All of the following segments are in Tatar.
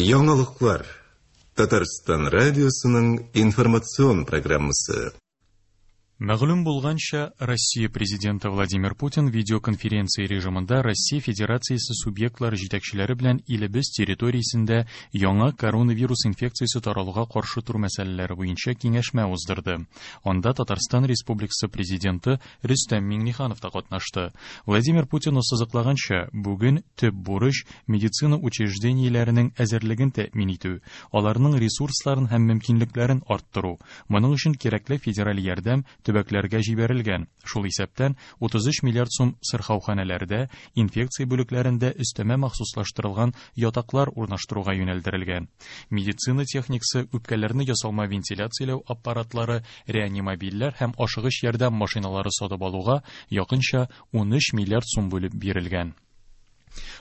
Яңалыклар. Татарстан радиосының информацион программасы. Мәгълүм булганча, Россия Президенты Владимир Путин видеоконференция режимында Россия Федерациясе субъектлары җитәкчеләре белән илебез территориясендә яңа коронавирус инфекциясе таралуга каршы тору мәсьәләләре буенча киңәшмә уздырды. Анда Татарстан Республикасы Президенты Рөстәм Миңнеханов та катнашты. Владимир Путин ассызыклаганча, бүген төп бурыч медицина учреждениеләренең әзерлеген тәэмин итү, аларның ресурсларын һәм мөмкинлекләрен арттыру. Моның өчен кирәкле федераль ярдәм төбәкләргә җибәрелгән. Шул исәптән 33 миллиард сум сырхауханәләрдә, инфекция бүлекләрендә өстәмә махсуслаштырылган ятаклар урнаштыруга юнәлдерелгән. Медицина техникасы, үпкәләрне ясалма вентиляцияләү аппаратлары, реанимобильләр һәм ашыгыч ярдәм машиналары сатып алуга якынча 13 миллиард сум бүлеп бирелгән.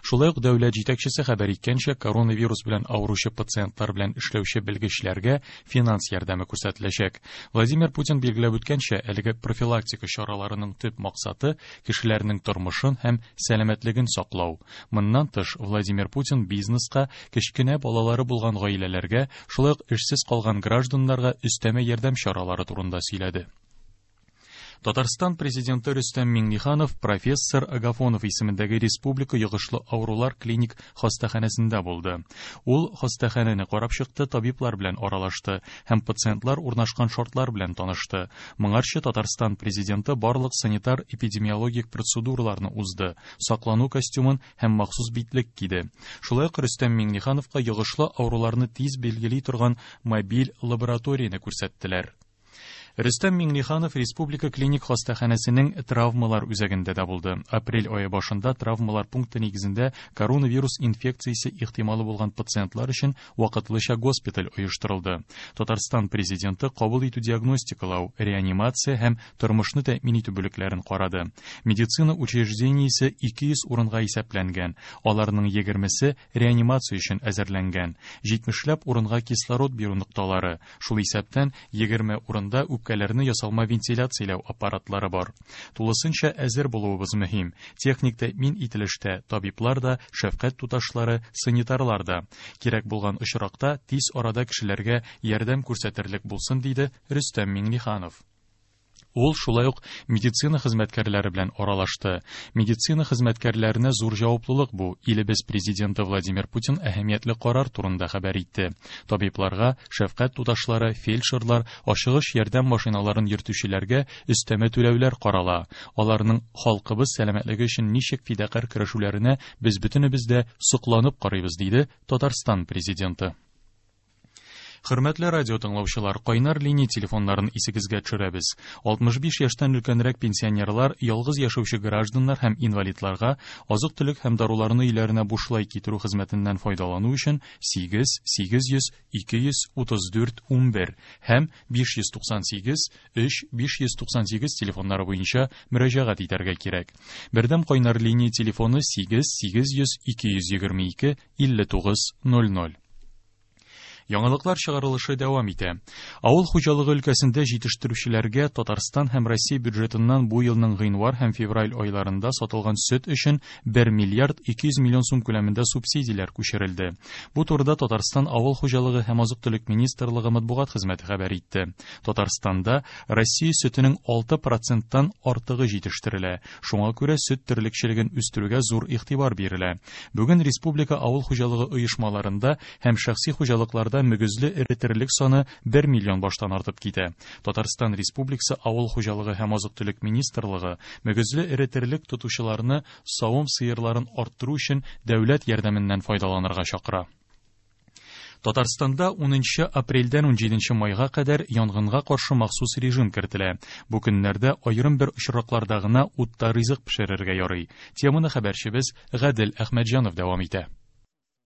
Шулай ук дәүләт җитәкчесе хәбәр иткәнчә, коронавирус белән авыручы пациентлар белән эшләүче белгечләргә финанс ярдәме күрсәтеләчәк. Владимир Путин билгеләп үткәнчә, әлеге профилактика чараларының төп максаты кешеләрнең тормышын һәм сәламәтлеген саклау. Моннан тыш, Владимир Путин бизнеска, кечкенә балалары булган гаиләләргә, шулай ук эшсез калган гражданнарга өстәмә ярдәм чаралары турында сөйләде. Татарстан президенты Рөстәм Миңнеханов профессор Агафонов исемендәге Республика йогышлы авырулар клиник хастаханәсендә булды. Ул хастаханәне карап чыкты, табиблар белән аралашты һәм пациентлар урнашкан шартлар белән танышты. Моңарчы Татарстан президенты барлык санитар-эпидемиологик процедураларны узды, саклану костюмын һәм махсус битлек киде. Шулай ук Рөстәм Миңнехановка йогышлы авыруларны тиз билгели торган мобиль лабораторияне күрсәттеләр. Рөстәм Миңнеханов Республика клиник хастаханәсенең травмалар үзәгендә дә булды. Апрель ае башында травмалар пункты нигезендә коронавирус инфекциясе ихтималы булган пациентлар өчен вакытлыча госпиталь оештырылды. Татарстан президенты кабул итү диагностикалау, реанимация һәм тормышны тәэмин итү бүлекләрен карады. Медицина учреждениесе 200 урынга исәпләнгән. Аларның 20-се реанимация өчен әзерләнгән. 70ләп урынга кислород бирү нокталары, шул исәптән 20 урында үпкәләрне ясалма вентиляцияләү аппаратлары бар. Тулысынча әзер булуыбыз мөһим. Техник тәэмин ителештә табиблар да, шәфкать туташлары, санитарлар да. Кирәк булган очракта тиз арада кешеләргә ярдәм күрсәтерлек булсын, диде Рөстәм Миңнеханов. Ул шулай ук медицина хезмәткәрләре белән аралашты. Медицина хезмәткәрләренә зур җаваплылык бу. Илебез президенты Владимир Путин әһәмиятле карар турында хәбәр итте. Табибларга, шәфкать туташлары, фельдшерлар, ашыгыч ярдәм машиналарын йөртүчеләргә өстәмә түләүләр карала. Аларның халкыбыз сәламәтлеге өчен ничек фидакарь көрәшүләренә без бөтенебез дә сокланып карыйбыз, диде Татарстан президенты. Хөрмәтле радио тыңлаучылар, кайнар линия телефоннарын исегезгә төшерәбез. 65 яшьтән өлкәнрәк пенсионерлар, ялгыз яшәүче гражданнар һәм инвалидларга азык-төлек һәм даруларны өйләренә бушлай китерү хезмәтеннән файдалану өчен 8 800 234 11 һәм 598 3 598 телефоннары буенча мөрәҗәгать итәргә кирәк. Бердәм кайнар линия телефоны 8 800 222 59 00. Яңалыклар чыгарылышы дәвам итә. Авыл хуҗалыгы өлкәсендә җитештерүчеләргә Татарстан һәм Россия бюджетыннан бу елның гыйнвар һәм февраль айларында сатылган сөт өчен 1 миллиард 200 миллион сум күләмендә субсидияләр күчерелде. Бу турыда Татарстан авыл хуҗалыгы һәм азык-төлек министрлыгы матбугат хезмәте хәбәр итте. Татарстанда Россия сөтенең 6%-тан артыгы җитештерелә. Шуңа күрә сөт терлекчелеген үстерүгә зур игътибар бирелә. Бүген республика авыл хуҗалыгы оешмаларында һәм шәхси хуҗалыкларда мөгезле эре терлек саны 1 миллион баштан артып китә. Татарстан Республикасы Авыл хуҗалыгы һәм азык-төлек министрлыгы мөгезле эре терлек тотучыларны савым сыерларын арттыру өчен дәүләт ярдәменнән файдаланырга чакыра. Татарстанда 10 апрельдән 17 майга кадәр янгынга каршы махсус режим кертелә. Бу көннәрдә аерым бер очракларда гына утта ризык пешерергә ярый. Теманы хәбәрчебез Гадел Әхмәтҗанов дәвам итә.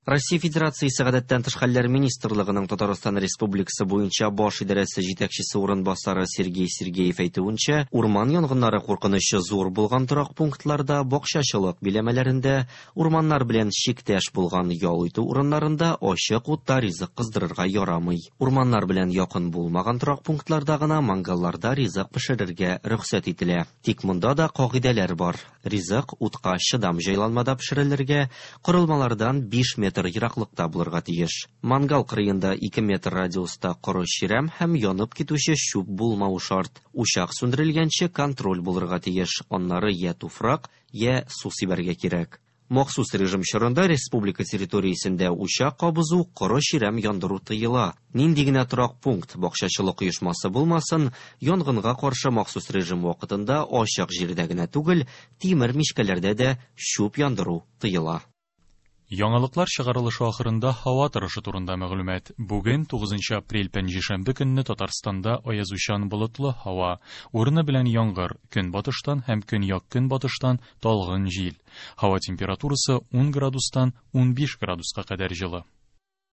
Россия Федерациясе гадәттән тыш хәлләр министрлыгының Татарстан Республикасы буенча баш идарәсе җитәкчесе урынбасары Сергей Сергеев әйтүенчә, урман янгыннары куркынычы зур булган торак пунктларда, бакчачылык биләмәләрендә, урманнар белән чиктәш булган ял итү урыннарында ачык утта ризык кыздырырга ярамый. Урманнар белән якын булмаган торак пунктларда гына мангалларда ризык пешерергә рөхсәт ителә. Тик монда да кагыйдәләр бар. Ризык утка чыдам җайланмада пешерелергә, корылмалардан 5 метр метр ераклыкта булырга тиеш. Мангал кырыенда 2 метр радиуста коры чирәм һәм янып китүче чүп булмавы шарт. Учак сүндерелгәнче контроль булырга тиеш, аннары я туфрак, я су сибәргә кирәк. Махсус режим чорында республика территориясендә учак кабызу, коры чирәм яндыру тыела. Нинди генә торак пункт, бакчачылык оешмасы булмасын, янгынга каршы махсус режим вакытында ачык җирдә генә түгел, тимер мичкәләрдә дә чүп яндыру тыела. Яңалыклар чыгарылышы ахырында һава торышы турында мәгълүмат. Бүген 9 апрель пәнҗешәмбе көнне Татарстанда аязучан болытлы һава, урыны белән яңгыр, көнбатыштан һәм көньяк-көнбатыштан талгын җил. Һава температурасы 10 градустан 15 градуска кадәр җылы.